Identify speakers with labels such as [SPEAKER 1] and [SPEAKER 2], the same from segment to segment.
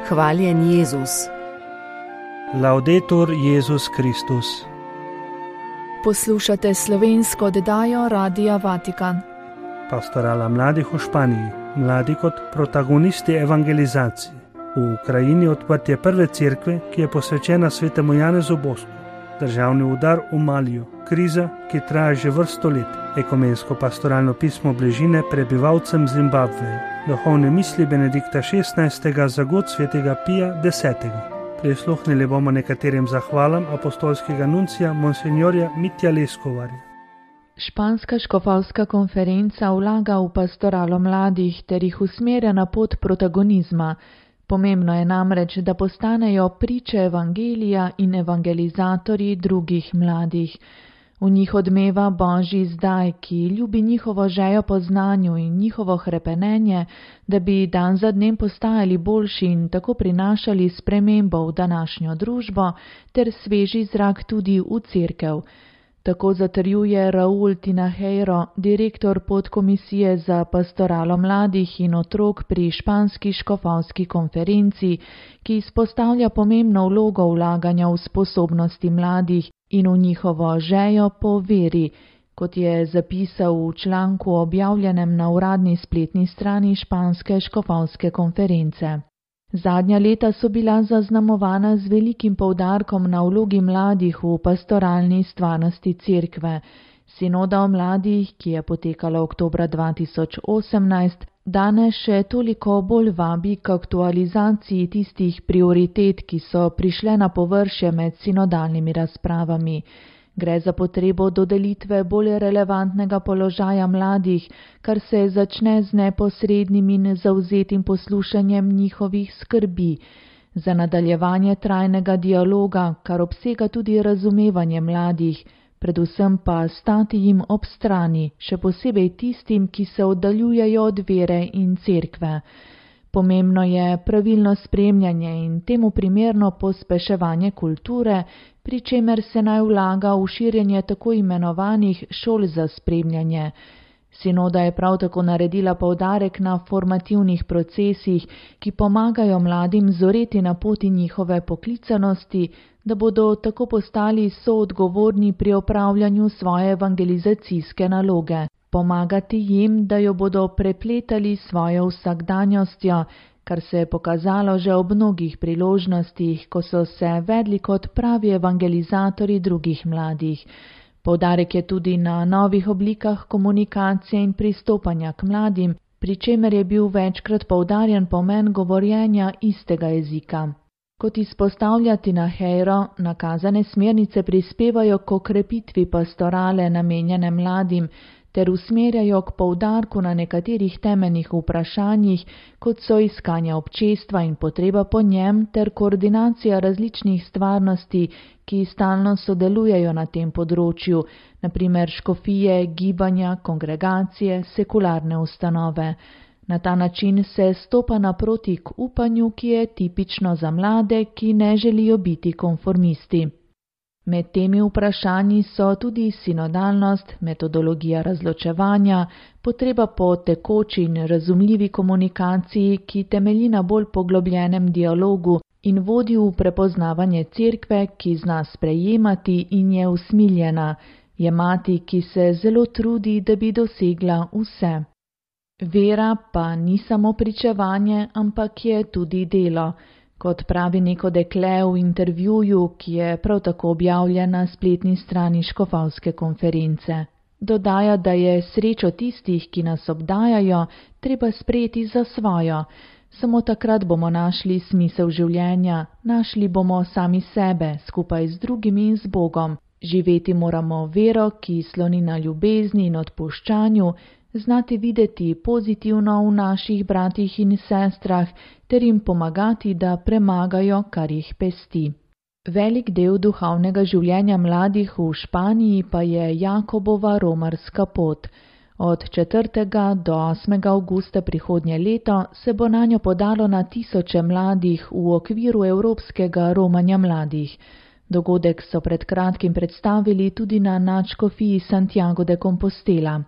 [SPEAKER 1] Hvaljen Jezus.
[SPEAKER 2] Laudetur Jezus Kristus.
[SPEAKER 3] Poslušate slovensko oddajo Radia Vatikan.
[SPEAKER 2] Pastorala mladih v Španiji, mladi kot protagonisti evangelizacije. V Ukrajini odprtje prve cerkve, ki je posvečena svetemu Janezu Bosku. Državni udar v Maliju, kriza, ki traja že vrsto let. Ekumensko pastoralno pismo bližine prebivalcem Zimbabveja. Duhovne misli Benedikta XVI. Za god svetega Pija X. Prisluhnili bomo nekaterim zahvalam apostolskega nuncija monsignorja Mitja Leskovarja.
[SPEAKER 3] Španska škofovska konferenca vlaga v pastoralo mladih ter jih usmerja na pot protagonizma. Pomembno je namreč, da postanejo priče evangelija in evangelizatorji drugih mladih. V njih odmeva Božji zdaj, ki ljubi njihovo žejo po znanju in njihovo hrepenenje, da bi dan za dnem postajali boljši in tako prinašali spremembo v današnjo družbo ter sveži zrak tudi v cerkev. Tako zatrjuje Raúl Tinajero, direktor podkomisije za pastoralo mladih in otrok pri španski škofovski konferenci, ki izpostavlja pomembno vlogo vlaganja v sposobnosti mladih in v njihovo žejo po veri, kot je zapisal v članku objavljenem na uradni spletni strani španske škofovske konference. Zadnja leta so bila zaznamovana z velikim poudarkom na vlogi mladih v pastoralni stvarnosti cerkve. Sinoda o mladih, ki je potekala oktobra 2018, danes še toliko bolj vabi k aktualizaciji tistih prioritet, ki so prišle na površje med sinodalnimi razpravami. Gre za potrebo dodelitve bolj relevantnega položaja mladih, kar se začne z neposrednim in zavzetim poslušanjem njihovih skrbi, za nadaljevanje trajnega dialoga, kar obsega tudi razumevanje mladih, predvsem pa stati jim ob strani, še posebej tistim, ki se oddaljujejo od vere in cerkve. Pomembno je pravilno spremljanje in temu primerno pospeševanje kulture, pri čemer se naj vlaga v širjenje tako imenovanih šol za spremljanje. Sinoda je prav tako naredila poudarek na formativnih procesih, ki pomagajo mladim zoreti na poti njihove poklicanosti, da bodo tako postali soodgovorni pri opravljanju svoje evangelizacijske naloge. Pomagati jim, da jo bodo prepletali svojo vsakdanjostjo, kar se je pokazalo že ob mnogih priložnostih, ko so se vedli kot pravi evangelizatorji drugih mladih. Poudarek je tudi na novih oblikah komunikacije in pristopanja k mladim, pri čemer je bil večkrat poudarjen pomen govorjenja istega jezika. Kot izpostavlja Tinajero, nakazane smernice prispevajo k okrepitvi pastorale namenjene mladim, ter usmerjajo k poudarku na nekaterih temeljnih vprašanjih, kot so iskanja občestva in potreba po njem ter koordinacija različnih stvarnosti, ki stalno sodelujejo na tem področju, na primer škofije, gibanja, kongregacije, sekularne ustanove. Na ta način se stopa naproti k upanju, ki je tipično za mlade, ki ne želijo biti konformisti. Med temi vprašanji so tudi sinodalnost, metodologija razločevanja, potreba po tekoči in razumljivi komunikaciji, ki temelji na bolj poglobljenem dialogu in vodi v prepoznavanje cerkve, ki zna sprejemati in je usmiljena, je mati, ki se zelo trudi, da bi dosegla vse. Vera pa ni samo pričevanje, ampak je tudi delo. Kot pravi neko dekle v intervjuju, ki je prav tako objavljen na spletni strani škofovske konference. Dodaja, da je srečo tistih, ki nas obdajajo, treba sprejeti za svojo. Samo takrat bomo našli smisel življenja, našli bomo sami sebe, skupaj z drugimi in z Bogom. Živeti moramo vero, ki sloni na ljubezni in odpuščanju, znati videti pozitivno v naših bratih in sestrah ter jim pomagati, da premagajo, kar jih pesti. Velik del duhovnega življenja mladih v Španiji pa je Jakobova romarska pot. Od 4. do 8. avgusta prihodnje leto se bo nanjo podalo na tisoče mladih v okviru Evropskega romanja mladih. Dogodek so pred kratkim predstavili tudi na nadškofiji Santiago de Compostela.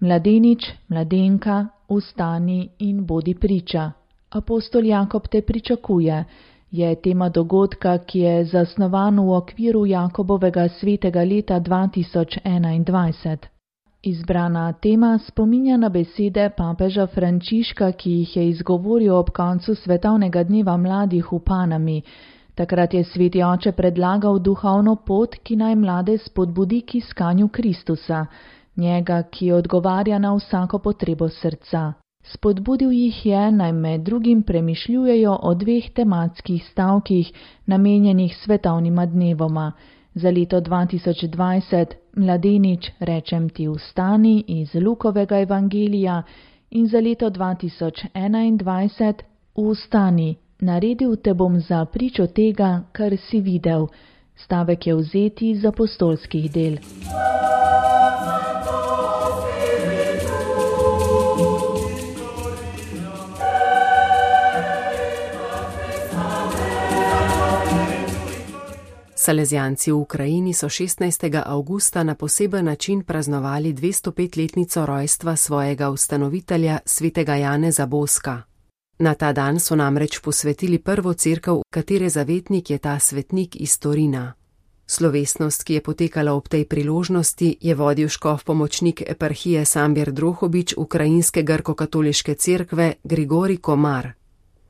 [SPEAKER 3] Mladenič, mladenka, vstani in bodi priča. Apostol Jakob te pričakuje, je tema dogodka, ki je zasnovan v okviru Jakobovega svetega leta 2021. Izbrana tema spominja na besede papeža Frančiška, ki jih je izgovoril ob koncu Svetovnega dneva mladih v Panami. Takrat je sveti oče predlagal duhovno pot, ki naj mlade spodbudi k iskanju Kristusa, njega, ki odgovarja na vsako potrebo srca. Spodbudil jih je, naj med drugim premišljujejo o 2 tematskih stavkih, namenjenih svetovnima dnevoma. Za leto 2020 Mladenič, rečem ti vstani iz Lukovega evangelija in za leto 2021 Vstani, naredil te bom za pričo tega, kar si videl. Stavek je vzeti iz apostolskih del.
[SPEAKER 1] Salezijanci v Ukrajini so 16. avgusta na poseben način praznovali 205-letnico rojstva svojega ustanovitelja svetega Janeza Boska. Na ta dan so namreč posvetili prvo cerkev, katere zavetnik je ta svetnik iz Torina. Slovesnost, ki je potekala ob tej priložnosti, je vodil škof pomočnik eparhije Sambir Drohobič ukrajinske grko-katoliške cerkve Grigorij Komar.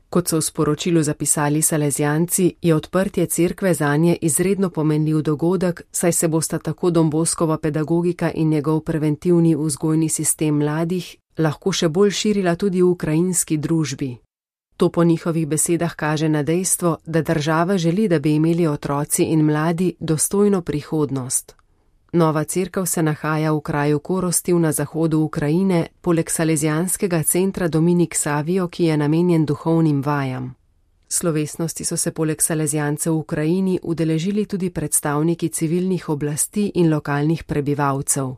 [SPEAKER 1] Kot so v sporočilu zapisali salezijanci, je odprtje cerkve zanje izredno pomenljiv dogodek, saj se bosta tako Don Boskova pedagogika in njegov preventivni vzgojni sistem mladih lahko še bolj širila tudi v ukrajinski družbi. To po njihovih besedah kaže na dejstvo, da država želi, da bi imeli otroci in mladi dostojno prihodnost. Nova cerkev se nahaja v kraju Korostiv na zahodu Ukrajine, poleg salezijanskega centra Dominik Savio, ki je namenjen duhovnim vajam. Slovesnosti so se poleg salezijancev v Ukrajini udeležili tudi predstavniki civilnih oblasti in lokalnih prebivalcev.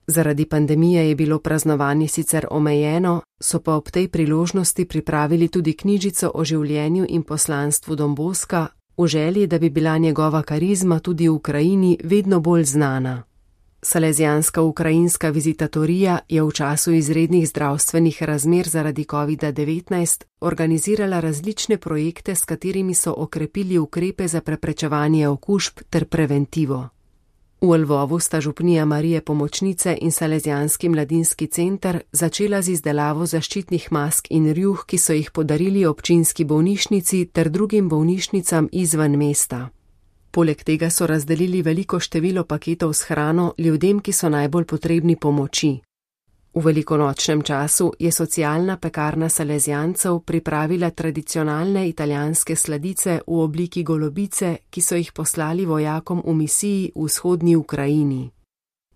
[SPEAKER 1] Zaradi pandemije je bilo praznovanje sicer omejeno, so pa ob tej priložnosti pripravili tudi knjižico o življenju in poslanstvu Don Boska, v želji, da bi bila njegova karizma tudi v Ukrajini vedno bolj znana. Salezijanska ukrajinska vizitatorija je v času izrednih zdravstvenih razmer zaradi COVID-19 organizirala različne projekte, s katerimi so okrepili ukrepe za preprečevanje okužb ter preventivo. V Lvovu sta župnija Marije Pomočnice in Salezijanski mladinski center začela z izdelavo zaščitnih mask in rjuh, ki so jih podarili občinski bolnišnici ter drugim bolnišnicam izven mesta. Poleg tega so razdelili veliko število paketov s hrano ljudem, ki so najbolj potrebni pomoči. V velikonočnem času je socialna pekarna Salezijancev pripravila tradicionalne italijanske sladice v obliki golobice, ki so jih poslali vojakom v misiji v vzhodni Ukrajini.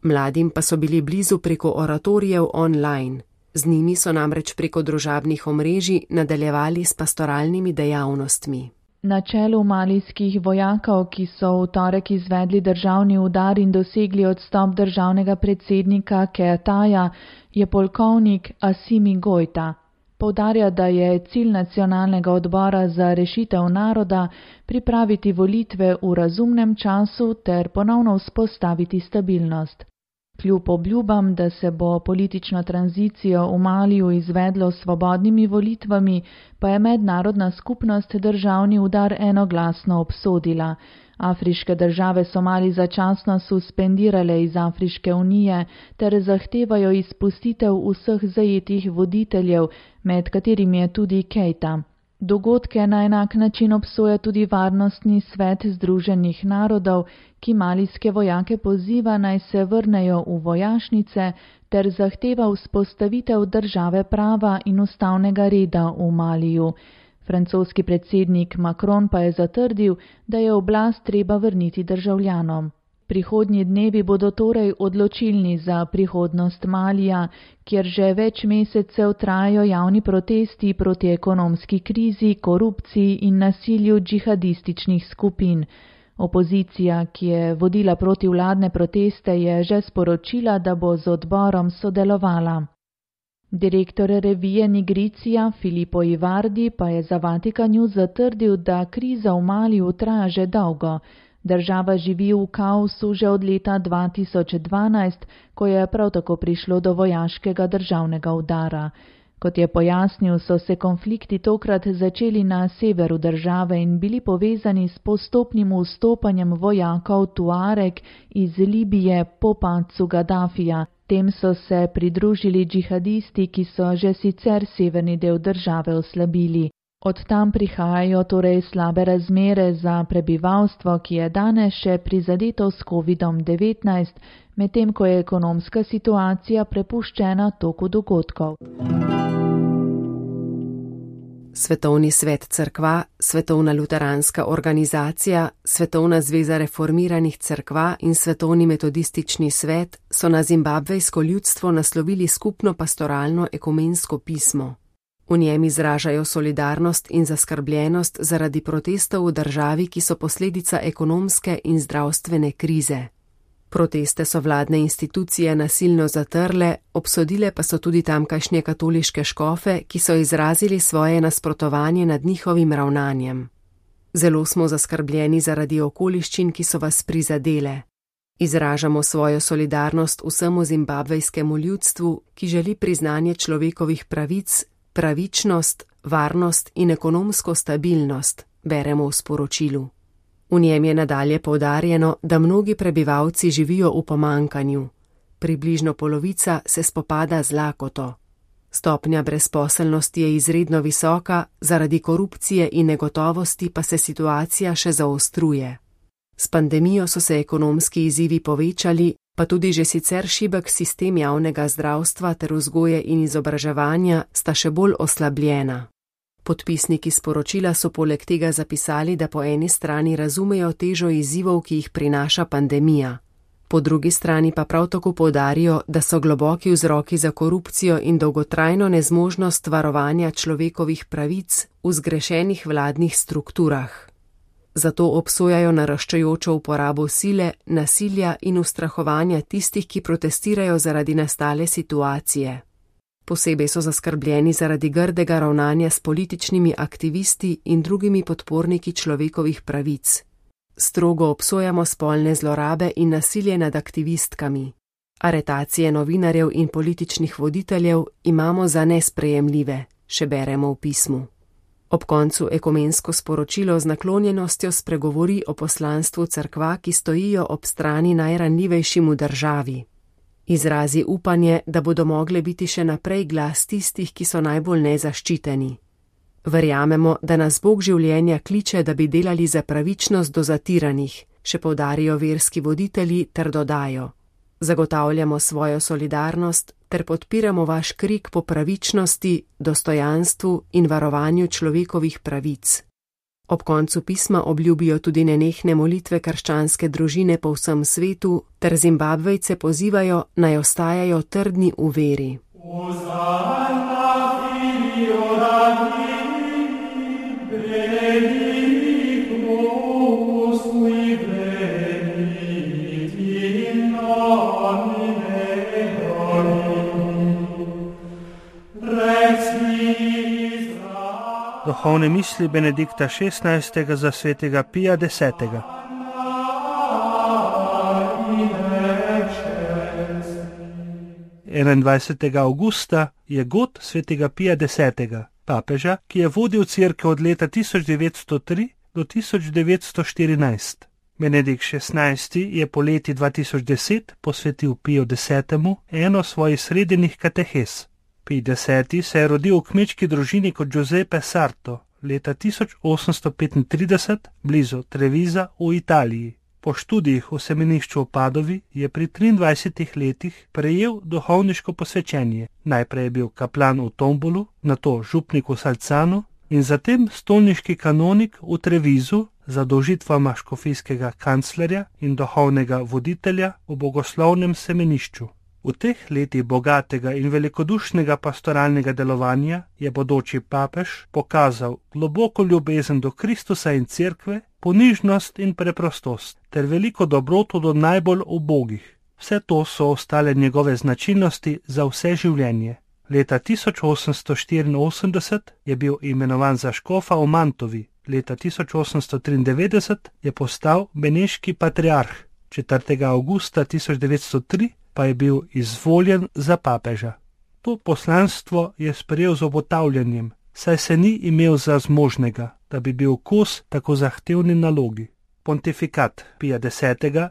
[SPEAKER 1] Mladim pa so bili blizu preko oratorijev online. Z njimi so namreč preko družabnih omrežij nadaljevali s pastoralnimi dejavnostmi.
[SPEAKER 3] Na čelu malijskih vojakov, ki so v torek izvedli državni udar in dosegli odstop državnega predsednika Keataja, je polkovnik Asimi Gojta. Poudarja, da je cilj nacionalnega odbora za rešitev naroda pripraviti volitve v razumnem času ter ponovno vzpostaviti stabilnost. Kljub obljubam, da se bo politično tranzicijo v Maliju izvedlo s svobodnimi volitvami, pa je mednarodna skupnost državni udar enoglasno obsodila. Afriške države so Mali začasno suspendirale iz Afriške unije ter zahtevajo izpustitev vseh zajetih voditeljev, med katerimi je tudi Keita. Dogodke na enak način obsoja tudi Varnostni svet Združenih narodov, ki malijske vojake poziva, naj se vrnejo v vojašnice ter zahteva vzpostavitev države prava in ustavnega reda v Maliju. Francoski predsednik Macron pa je zatrdil, da je oblast treba vrniti državljanom. Prihodnji dnevi bodo torej odločilni za prihodnost Malija, kjer že več mesecev trajajo javni protesti proti ekonomski krizi, korupciji in nasilju džihadističnih skupin. Opozicija, ki je vodila protivladne proteste, je že sporočila, da bo z odborom sodelovala. Direktor revije Nigricija Filippo Ivardi pa je za Vatikan News zatrdil, da kriza v Maliju traja že dolgo. Država živi v kaosu že od leta 2012, ko je prav tako prišlo do vojaškega državnega udara. Kot je pojasnil, so se konflikti tokrat začeli na severu države in bili povezani s postopnim vstopanjem vojakov Tuareg iz Libije po padcu Gaddafija. Tem so se pridružili džihadisti, ki so že sicer severni del države oslabili. Od tam prihajajo torej slabe razmere za prebivalstvo, ki je danes še prizadeto s COVID-19, medtem ko je ekonomska situacija prepuščena toku dogodkov.
[SPEAKER 1] Svetovni svet cerkva, Svetovna luteranska organizacija, Svetovna zveza reformiranih cerkva in Svetovni metodistični svet so na zimbabvejsko ljudstvo naslovili skupno pastoralno ekumensko pismo. V njem izražajo solidarnost in zaskrbljenost zaradi protestov v državi, ki so posledica ekonomske in zdravstvene krize. Proteste so vladne institucije nasilno zatrle, obsodile pa so tudi tamkajšnje katoliške škofe, ki so izrazili svoje nasprotovanje nad njihovim ravnanjem. Zelo smo zaskrbljeni zaradi okoliščin, ki so vas prizadele. Izražamo svojo solidarnost vsemu zimbabvejskemu ljudstvu, ki želi priznanje človekovih pravic, pravičnost, varnost in ekonomsko stabilnost, beremo v sporočilu. V njem je nadalje poudarjeno, da mnogi prebivalci živijo v pomanjkanju. Približno polovica se spopada z lakoto. Stopnja brezposelnosti je izredno visoka, zaradi korupcije in negotovosti pa se situacija še zaostruje. S pandemijo so se ekonomski izzivi povečali, pa tudi že sicer šibek sistem javnega zdravstva ter vzgoje in izobraževanja sta še bolj oslabljena. Podpisniki sporočila so poleg tega zapisali, da po eni strani razumejo težo izzivov, ki jih prinaša pandemija. Po drugi strani pa prav tako poudarijo, da so globoki vzroki za korupcijo in dolgotrajno nezmožnost varovanja človekovih pravic v zgrešenih vladnih strukturah. Zato obsojajo naraščajočo uporabo sile, nasilja in ustrahovanja tistih, ki protestirajo zaradi nastale situacije. Posebej so zaskrbljeni zaradi grdega ravnanja s političnimi aktivisti in drugimi podporniki človekovih pravic. Strogo obsojamo spolne zlorabe in nasilje nad aktivistkami. Aretacije novinarjev in političnih voditeljev imamo za nesprejemljive, še beremo v pismu. Ob koncu ekumensko sporočilo z naklonjenostjo spregovori o poslanstvu cerkva, ki stojijo ob strani najranljivejšim v državi. Izrazi upanje, da bodo mogle biti še naprej glas tistih, ki so najbolj nezaščiteni. Verjamemo, da nas Bog življenja kliče, da bi delali za pravičnost do zatiranih, še poudarijo verski voditelji ter dodajo. Zagotavljamo svojo solidarnost ter podpiramo vaš krik po pravičnosti, dostojanstvu in varovanju človekovih pravic. Ob koncu pisma obljubijo tudi nenehne molitve krščanske družine po vsem svetu ter Zimbabvejce pozivajo, naj ostajajo trdni v veri.
[SPEAKER 2] Duhovne misli Benedikta XVI. Za svetega Pija X. 21. avgusta je god svetega Pija X., papeža, ki je vodil cerkev od leta 1903 do 1914. Benedikt XVI. Je po leti 2010 posvetil Piju X. eno svojih srednjih katehes. Pij X. se je rodil v kmečki družini kot Giuseppe Sarto leta 1835 blizu Trevisa v Italiji. Po študijih v semenišču v Padovi je pri 23 letih prejel duhovniško posvečenje. Najprej je bil kaplan v Tombolu, nato župnik v Salcanu in zatem stolniški kanonik v Trevisu za dolžitvama škofijskega kanclerja in duhovnega voditelja v bogoslovnem semenišču. V teh letih bogatega in velikodušnega pastoralnega delovanja je bodoči papež pokazal globoko ljubezen do Kristusa in cerkve, ponižnost in preprostost ter veliko dobroto do najbolj ubogih. Vse to so ostale njegove značilnosti za vse življenje. Leta 1884 je bil imenovan za škofa v Mantovi, leta 1893 je postal beneški patriarh, 4. avgusta 1903 pa je bil izvoljen za papeža. To poslanstvo je sprejel z obotavljanjem, saj se ni imel za zmožnega, da bi bil kos tako zahtevni nalogi. Pontifikat Pija X.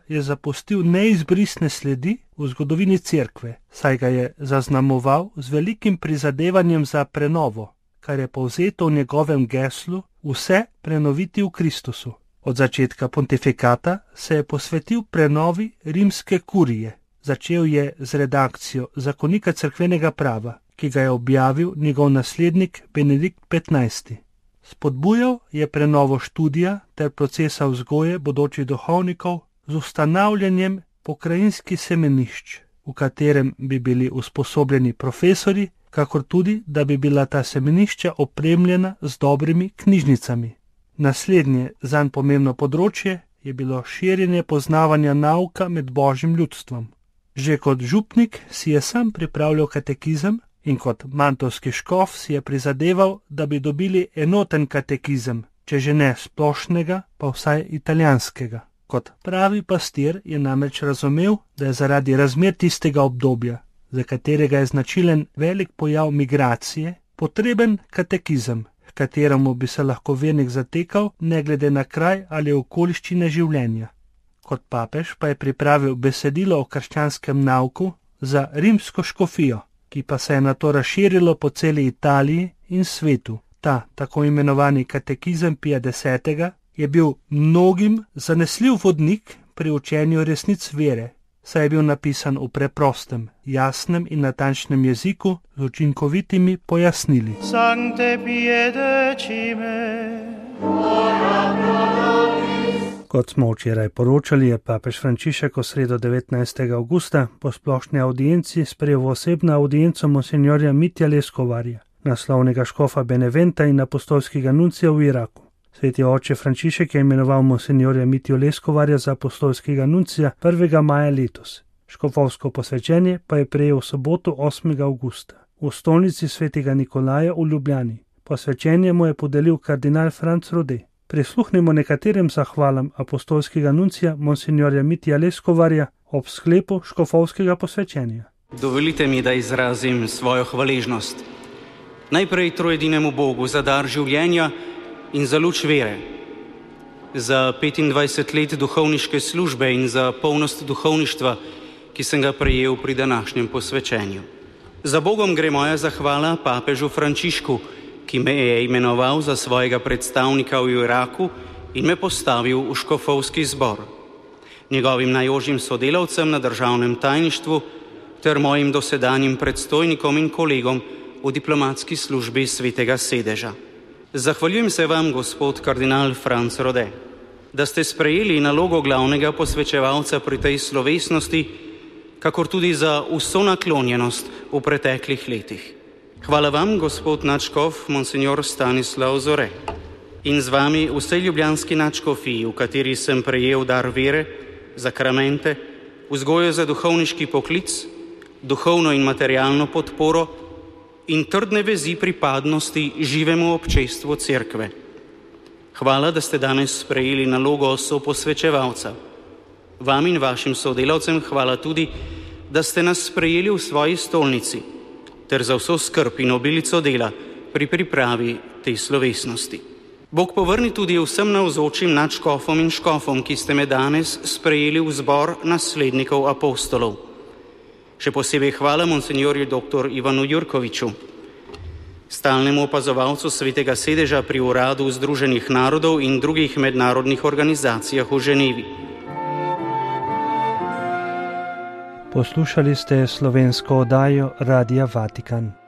[SPEAKER 2] je zapustil neizbrisne sledi v zgodovini cerkve, saj ga je zaznamoval z velikim prizadevanjem za prenovo, kar je povzeto v njegovem geslu vse prenoviti v Kristusu. Od začetka pontifikata se je posvetil prenovi rimske kurije. Začel je z redakcijo Zakonika cerkvenega prava, ki ga je objavil njegov naslednik Benedikt XV. Spodbujal je prenovo študija ter procesa vzgoje bodočih duhovnikov z ustanavljanjem pokrajinskih semenišč, v katerem bi bili usposobljeni profesori, kakor tudi, da bi bila ta semenišča opremljena z dobrimi knjižnicami. Naslednje zanj pomembno področje je bilo širjenje poznavanja nauka med božjim ljudstvom. Že kot župnik si je sam pripravljal katekizem in kot mantovski škof si je prizadeval, da bi dobili enoten katekizem, če že ne splošnega, pa vsaj italijanskega. Kot pravi pastir je namreč razumel, da je zaradi razmer tistega obdobja, za katerega je značilen velik pojav migracije, potreben katekizem, kateremu bi se lahko vernik zatekal ne glede na kraj ali okoliščine življenja. Kot papež pa je pripravil besedilo o krščanskem nauku za rimsko škofijo, ki pa se je nato razširilo po celi Italiji in svetu. Ta tako imenovani katekizem Pija X. je bil mnogim zanesljiv vodnik pri učenju resnic vere, saj je bil napisan v preprostem, jasnem in natančnem jeziku z učinkovitimi pojasnili.
[SPEAKER 4] Sancte pie decime.
[SPEAKER 2] Kot smo včeraj poročali, je papež Frančišek v sredo 19. avgusta po splošni audienci sprejel v osebno audienco monsignorja Mitja Leskovarja, naslovnega škofa Beneventa in apostolskega nuncija v Iraku. Sveti oče Frančišek je imenoval monsignorja Mitjo Leskovarja za apostolskega nuncija 1. maja letos. Škofovsko posvečenje pa je prejel v soboto 8. avgusta v stolnici svetega Nikolaja v Ljubljani. Posvečenje mu je podelil kardinal Franc Rode. Prisluhnimo nekaterim zahvalam apostolskega nuncija monsignorja Mitja Leskovarja ob sklepu škofovskega posvečenja.
[SPEAKER 5] Dovolite mi, da izrazim svojo hvaležnost. Najprej trojedinemu Bogu za dar življenja in za luč vere, za 25 let duhovniške službe in za polnost duhovništva, ki sem ga prejel pri današnjem posvečenju. Za Bogom gre moja zahvala papežu Frančišku, ki me je imenoval za svojega predstavnika v Iraku in me postavil v škofovski zbor, njegovim najožjim sodelavcem na državnem tajništvu ter mojim dosedanjim predstojnikom in kolegom v diplomatski službi Svetega sedeža. Zahvaljujem se vam, gospod kardinal Franc Rode, da ste sprejeli nalogo glavnega posvečevalca pri tej slovesnosti, kakor tudi za vso naklonjenost v preteklih letih. Hvala vam, gospod nadškof monsignor Stanislav Zore, in z vami vsej ljubljanski nadškofiji, v kateri sem prejel dar vere, zakramente, vzgojo za duhovniški poklic, duhovno in materialno podporo in trdne vezi pripadnosti živemu občestvu cerkve. Hvala, da ste danes sprejeli nalogo soposvečevalca. Vam in vašim sodelavcem hvala tudi, da ste nas sprejeli v svoji stolnici, ter za vso skrb in obilico dela pri pripravi tej slovesnosti. Bog povrni tudi vsem navzočim nadškofom in škofom, ki ste me danes sprejeli v zbor naslednikov apostolov. Še posebej hvala monsignorju dr. Ivanu Jurkoviču, stalnemu opazovalcu Svetega sedeža pri Uradu Združenih narodov in drugih mednarodnih organizacijah v Ženevi.
[SPEAKER 2] Poslušali ste slovensko oddajo Radia Vatikan.